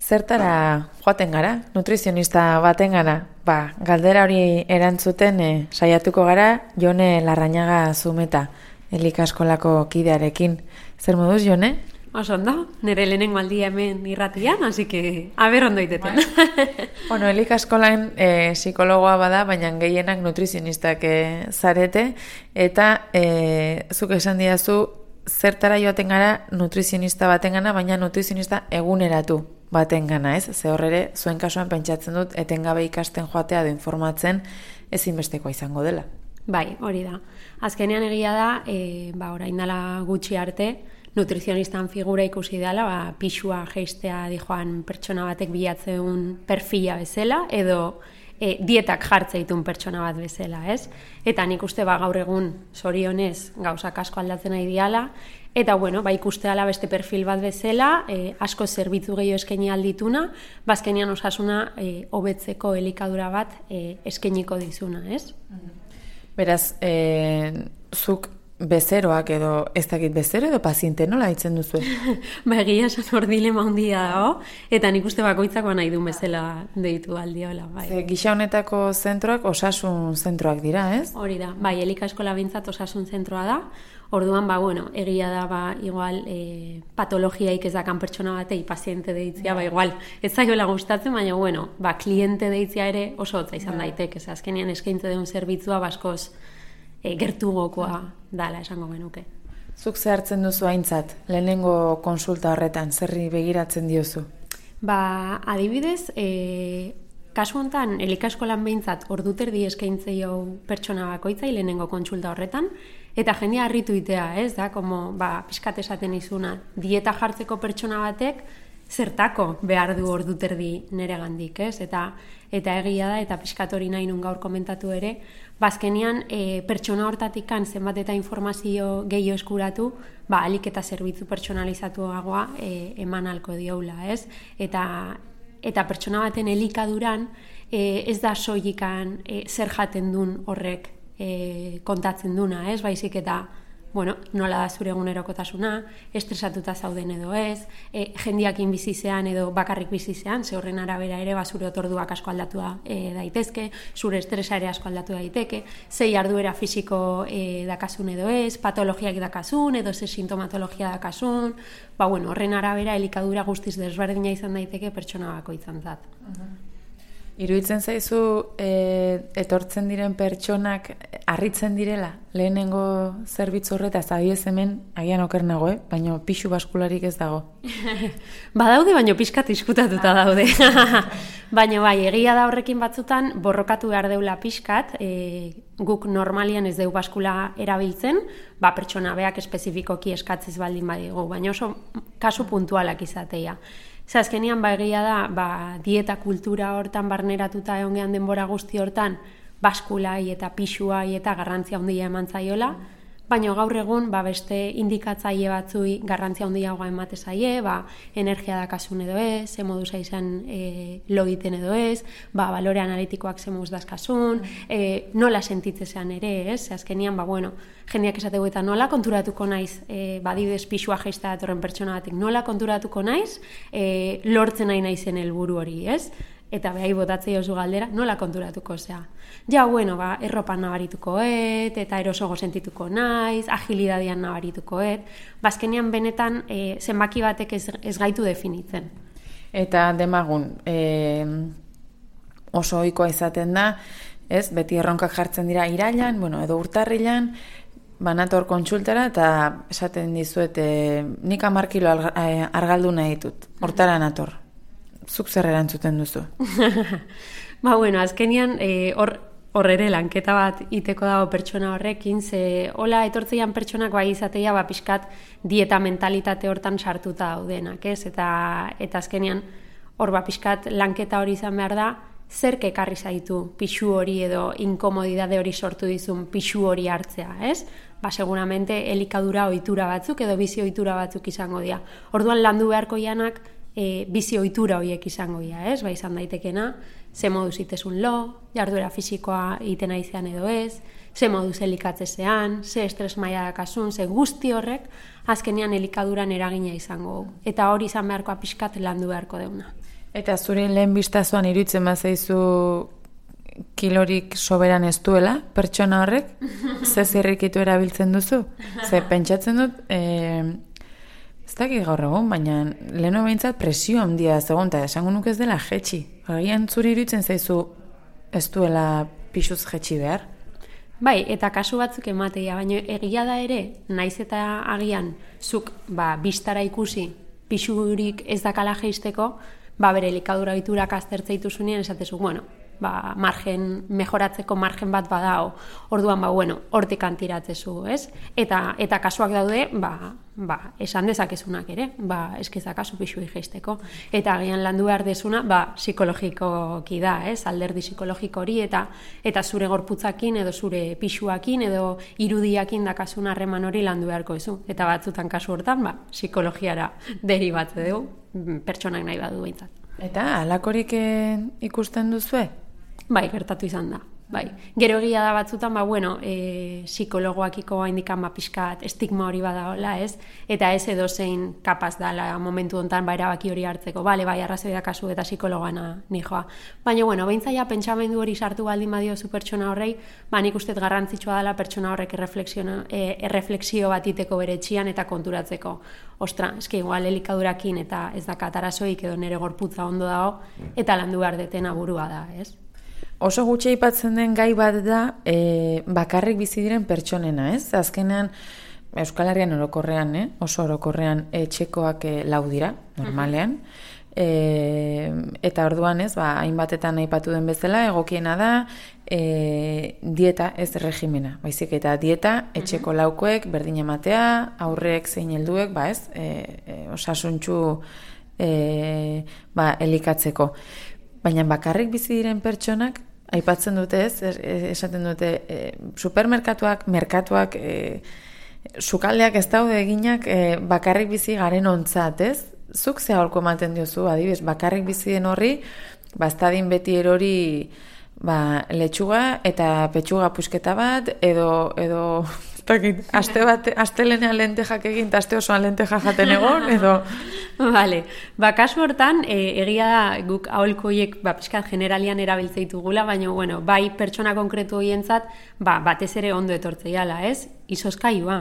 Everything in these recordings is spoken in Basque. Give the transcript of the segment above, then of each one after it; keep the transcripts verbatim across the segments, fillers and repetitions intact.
Zertara joaten gara, nutrizionista baten gara, ba, galdera hori erantzuten e, saiatuko gara Jone Larrañaga Zumeta, elikaskolako kidearekin. Zer moduz, Jone? Oso ondo, nire lehenengo aldia hemen irratian, así que, aber ondo iteten. Bueno, elikaskolan e, psikologoa bada, baina gehienak nutrizionistak e, zarete, eta e, zuk esan didazu, zertara joaten gara nutrizionista baten gana, baina nutrizionista eguneratu baten gana, ez? Ze horrere, zuen kasuan pentsatzen dut, etengabe ikasten joatea edo informatzen ezinbestekoa izango dela. Bai, hori da. Azkenean egia da, e, ba, orain dela gutxi arte, nutrizionistan figura ikusi dela, ba, pixua jeistea dijoan pertsona batek bilatzen perfila bezala, edo e, dietak jartze ditun pertsona bat bezala, ez? Eta nik uste ba, gaur egun zorionez gauzak asko aldatzen nahi diala, eta bueno, ba, ikuste dela beste perfil bat bezala, e, asko zerbitzu gehiago eskaini aldituna, bazkenian osasuna e, hobetzeko elikadura bat e, eskainiko dizuna, ez? Beraz, e, zuk bezeroak edo, ez dakit bezero edo paziente nola ditzen duzu? Ba, egia esan hor dilema handia dago, eta nik uste bakoitzako nahi duen bezala deitu aldiola. Bai. Ze, gisa honetako zentroak osasun zentroak dira, ez? Hori da, bai, elikaskola bintzat osasun zentroa da, orduan, ba, bueno, egia da, ba, igual, e, patologiaik ez dakan pertsona batei paziente deitzia, ba, igual, ez zaiola gustatzen, baina, bueno, ba, kliente deitzia ere oso hotza izan daiteke, ez azkenean eskaintze duen zerbitzua baskoz e, gertugokoa dala esango genuke. Zuk zehartzen duzu aintzat, lehenengo konsulta horretan, zerri begiratzen diozu? Ba, adibidez, e, kasu honetan, elikaskolan behintzat orduterdi eskaintzei hau pertsona bakoitzai lehenengo kontsulta horretan, eta jendea harritu itea, ez da, como, ba, pixkat esaten izuna, dieta jartzeko pertsona batek, zertako behar du orduterdi nere gandik, ez? Eta, eta egia da, eta pixkat hori nahi nun gaur komentatu ere, bazkenian e, pertsona hortatikan zenbat eta informazio gehiago eskuratu, ba, alik eta zerbitzu pertsonalizatuagoa e, eman alko dioula, ez? Eta, eta pertsona baten elikaduran e, ez da soilikan e, zer jaten dun horrek e, kontatzen duna, ez? Baizik eta, bueno, nola da zure egunerokotasuna, estresatuta zauden edo ez, e, jendiakin bizizean edo bakarrik bizizean, ze horren arabera ere ba, zure otorduak asko aldatu e, daitezke, zure estresa ere asko aldatu daiteke, ze jarduera fisiko e, dakasun edo ez, patologiak dakasun edo ze sintomatologia dakasun, ba, bueno, horren arabera elikadura guztiz desberdina izan daiteke pertsona bakoitzantzat. Uh-huh. Iruditzen zaizu e, etortzen diren pertsonak harritzen direla lehenengo zerbitzu horretaz, adibidez hemen agian oker nago, eh? Baina pixu baskularik ez dago. Badaude, baina pixkat diskutatuta daude. Baina bai, egia da horrekin batzutan borrokatu behar deula pixkat, e, guk normalian ez deu baskula erabiltzen, ba pertsona beak espezifikoki eskatziz baldin badigu, baina oso kasu puntualak izatea. Ze azkenian ba egia da, ba, dieta kultura hortan barneratuta egon gehan denbora guzti hortan baskulai eta pixuai eta garrantzia handia eman zaiola, baina gaur egun ba, beste indikatzaile batzui garrantzia handiagoa emate zaie, ba, energia dakasun edo ez, ze moduz izan e, logiten edo ez, ba, balore analitikoak ze moduz dazkasun, e, nola sentitzezean ere, ez? Ze azkenian, ba, bueno, jendeak esategu eta nola konturatuko naiz, e, badibidez pixua jeista datorren pertsona batek, nola konturatuko naiz, e, lortzen nahi naizen helburu hori, ez? Eta behai botatzei oso galdera, nola konturatuko, zea. Ja, bueno, ba, erropan nabaritukoet, eta erosogo sentituko naiz, agilidadian nabaritukoet, bazkenean benetan e, zenbaki batek ez, ez gaitu definitzen. Eta demagun, e, oso ohikoa izaten da, ez, beti erronkak jartzen dira irailan, bueno, edo urtarrilan, banator kontsultara, eta esaten dizuet, e, nik hamar kilo argaldu nahi ditut, hortara nator. Zuk zer erantzuten duzu? Ba, bueno, azkenian hor hor ere lanketa bat iteko dago pertsona horrekin, ze hola etortzeian pertsonak bai izatea ba pixkat dieta mentalitate hortan sartuta daudenak, ez? Eta eta azkenian hor ba pixkat lanketa hori izan behar da, zerk ekarri zaitu pixu hori edo inkomodidade hori sortu dizun pixu hori hartzea, ez? Ba, seguramente elikadura ohitura batzuk edo bizi ohitura batzuk izango dira. Orduan landu beharko janak e, bizi ohitura horiek izango dira, ez? Ba, izan daitekena, ze moduz itezun lo, jarduera fisikoa iten aizean edo ez, ze moduz elikatzezean, ze estres maila dakasun, ze guzti horrek, azkenean elikaduran eragina izango. Eta hori izan beharkoa pixkat landu beharko deuna. Eta zure lehen bistazoan iruditzen bazaizu kilorik soberan ez duela, pertsona horrek, ze zirrikitu erabiltzen duzu? Ze pentsatzen dut, e, ez dakit gaur egun, baina leheno behintzat presio handia zegoen, eta esango nuke ez dela jetxi. Agian zure iruditzen zaizu ez duela pixuz jetxi behar? Bai, eta kasu batzuk emateia, baina egia da ere, naiz eta agian zuk ba, bistara ikusi pixurik ez dakala jeisteko, ba, bere elikadura ohiturak aztertze dituzunean esatezu, bueno, ba, margen, mejoratzeko margen bat badao, orduan, ba, bueno, hortik antiratzezu, ez? Eta, eta kasuak daude, ba, ba, esan dezakezunak ere, ba, eskizakazu pixui jeisteko. Eta agian landu behar dezuna, ba, psikologikoki da, ez? Alderdi psikologiko hori, eta eta zure gorputzakin, edo zure pixuakin, edo irudiakin dakasun harreman hori landu beharko ezu. Eta batzutan kasu hortan, ba, psikologiara deribatze dugu, pertsonak nahi badu behintzat. Eta halakorik ikusten duzue? Bai, gertatu izan da. Bai. Gero egia da batzutan, ba, bueno, e, psikologoakiko haindikan ba, pixkat estigma hori badaola, ez? Eta ez edo zein kapaz dala momentu hontan ba, erabaki hori hartzeko. Bale, bai, arrazoi da kasu eta psikologoana nijoa. Baina, bueno, beintzaia pentsamendu hori sartu baldin badiozu pertsona horrei, ba, nik uste garrantzitsua dela pertsona horrek e, erreflexio bat iteko bere etxian eta konturatzeko. Ostra, eske igual elikadurakin eta ez dakat arazoik edo nere gorputza ondo dago, eta landu behar detena burua da, ez? Oso gutxi aipatzen den gai bat da e, bakarrik bizi diren pertsonena, ez? Azkenean, Euskal Herrian orokorrean, eh? oso orokorrean etxekoak e, lau dira, normalean. E, eta orduan, ez, ba, hainbatetan aipatu den bezala, egokiena da e, dieta ez regimena. Baizik eta dieta etxeko laukoek berdin ematea, aurrek zein helduek, ba ez, e, e, osasuntxu e, ba, elikatzeko. Baina bakarrik bizi diren pertsonak, aipatzen dute ez, esaten dute, e, supermerkatuak, merkatuak, e, sukaldeak ez daude eginak e, bakarrik bizi garen ontzat, ez? Zuk ze aholku ematen diozu, adibidez, bakarrik bizi den horri, bastadin beti erori ba, letxuga eta petxuga pusketa bat, edo, edo aste bat, astelenean lentejak egin, eta aste osoan lenteja jaten egon, edo... Vale, ba, kasu hortan, e, egia da guk aholkoiek ba, pixkat generalian erabiltzeitugula, baina, bueno, bai pertsona konkretu horientzat, ba, batez ere ondo etortzeiala, ez? Izozkailua,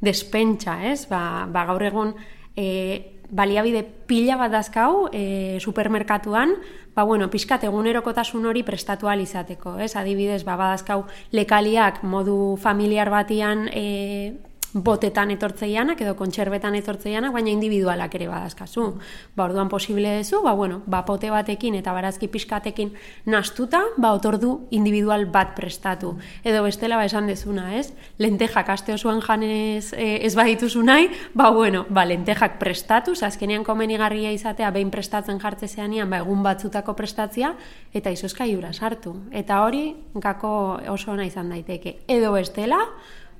despentsa, ez? Ba, ba gaur egun... E, baliabide pila bat dazkau e, supermerkatuan, ba, bueno, pixkat egunerokotasun hori prestatu ahal izateko, ez? Adibidez, ba, badazkau lekaliak modu familiar batian e, botetan etortzeianak edo kontserbetan etortzeianak, baina individualak ere badazkazu. Ba, orduan posible dezu, ba, bueno, ba, pote batekin eta barazki pixkatekin nastuta, ba, otordu individual bat prestatu. Edo bestela, ba, esan dezuna, ez? Lentejak aste osoan janez e, ez badituzu nahi, ba, bueno, ba, lentejak prestatu, azkenean komenigarria izatea behin prestatzen jartzezeanian, ba, egun batzutako prestatzia, eta izozkailura sartu. Eta hori, gako oso ona izan daiteke. Edo bestela,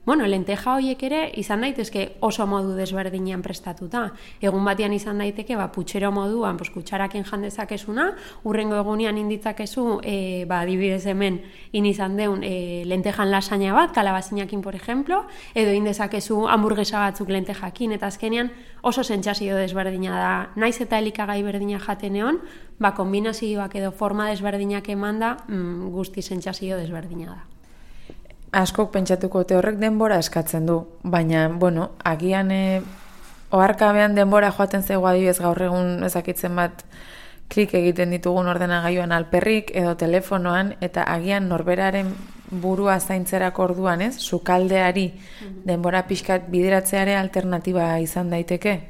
bueno, lenteja horiek ere izan daitezke oso modu desberdinean prestatuta. Egun batean izan daiteke, ba, putxero moduan, pues, kutsarakin jandezakezuna, urrengo egunean inditzakezu, e, ba, adibidez hemen, in izan deun e, lentejan lasaina bat, kalabazinakin, por ejemplo, edo indezakezu hamburguesa batzuk lentejakin, eta azkenean oso sentsazio desberdina da. Naiz eta elikagai berdina jaten egon, ba, kombinazioak edo forma desberdinak emanda, mm, guzti sentsazio desberdina da. Askok pentsatuko te horrek denbora eskatzen du, baina, bueno, agian e, oharkabean denbora joaten zaigu adibidez gaur egun ezakitzen bat klik egiten ditugun ordenagailuan alperrik edo telefonoan, eta agian norberaren burua zaintzerako orduan, ez? Sukaldeari denbora pixkat bideratzeare alternatiba izan daiteke?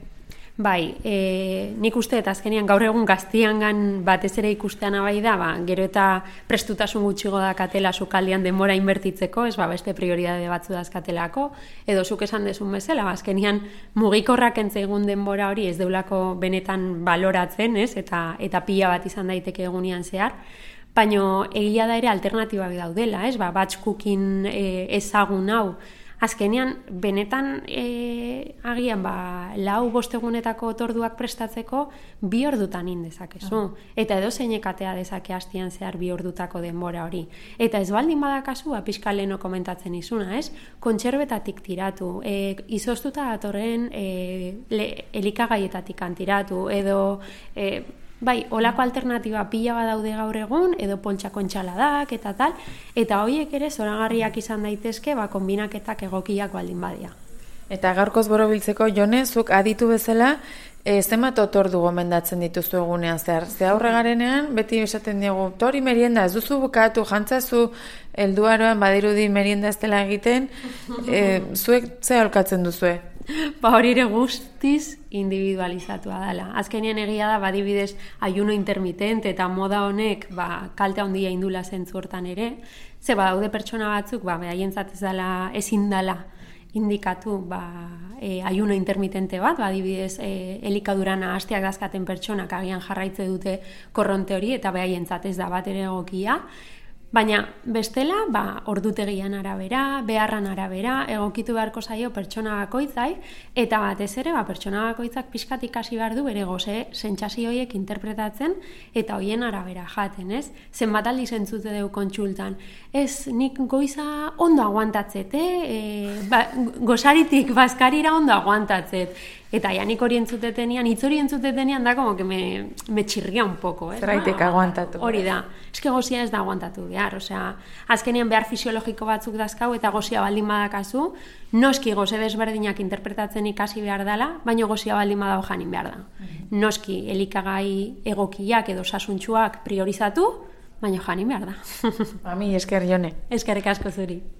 Bai, e, nik uste eta azkenean gaur egun gaztiangan batez ere ikustean abai da, ba, gero eta prestutasun gutxigo dakatela sukaldean denbora inbertitzeko, ez ba, beste prioridade batzu dazkatelako, edo zuk esan dezun bezala, ba, azkenean mugikorrak entzaigun denbora hori ez deulako benetan baloratzen, ez? Eta, eta pila bat izan daiteke egunean zehar, baina egia da ere alternatibak daudela, ez? Ba, batch cooking e, ezagun hau, azkenean, benetan e, agian ba, lau bostegunetako otorduak prestatzeko bi ordutan indezakezu. Eta edo zeinekatea dezake hastian zehar bi ordutako denbora hori. Eta ez baldin badakazu, pixka leheno komentatzen izuna, ez? Kontserbetatik tiratu, e, izoztuta datorren e, le, elikagaietatik tiratu, edo... E, Bai, olako alternatiba pila badaude gaur egun, edo poltsako entxaladak eta tal, eta horiek ere zoragarriak izan daitezke, ba, kombinaketak egokiak baldin badia. Eta gaurkoz borobiltzeko, Jone, zuk aditu bezala, e, zenbat otordu gomendatzen dituzu egunean zehar? Ze aurre garenean, beti esaten diegu, tori merienda, ez duzu bukatu, jantzazu, helduaroan badirudi merienda ez dela egiten, e, zuek ze aholkatzen duzue? Ba hori ere guztiz individualizatua dela. Azkenean egia da, badibidez, ayuno intermitente eta moda honek ba, kalte handia indula zentzu hortan ere, ze badaude pertsona batzuk, ba, behaientzat ez dela, ezin dela indikatu ba, e, ayuno intermitente bat, badibidez, e, elikaduran hastiak dazkaten pertsonak agian jarraitze dute korronte hori, eta behaientzat ez da bat ere egokia. Baina bestela, ba, ordutegian arabera, beharran arabera, egokitu beharko zaio pertsona bakoitzai, eta batez ere, ba, pertsona bakoitzak pixkat ikasi behar du bere goze sentsazio horiek interpretatzen eta hoien arabera jaten, ez? Zenbat aldiz entzute dugu kontsultan. Ez, nik goiza ondo aguantatzet, eh? E, ba, gozaritik bazkarira ondo aguantatzet. Eta ja nik hori entzutetenian, hitz hori entzutetenian da como que me, me chirria un poco. Eh? Zeraitek ba, aguantatu. Hori da. Ez que gozia ez da aguantatu behar. Osea, azkenean behar fisiologiko batzuk dazkau eta gozia baldin badakazu, noski goze desberdinak interpretatzen ikasi behar dela, baina gozia baldin badago janin behar da. Mm-hmm. Noski elikagai egokiak edo sasuntxuak priorizatu, baina janin behar da. Ami, esker Jone. Eskerrik asko zuri.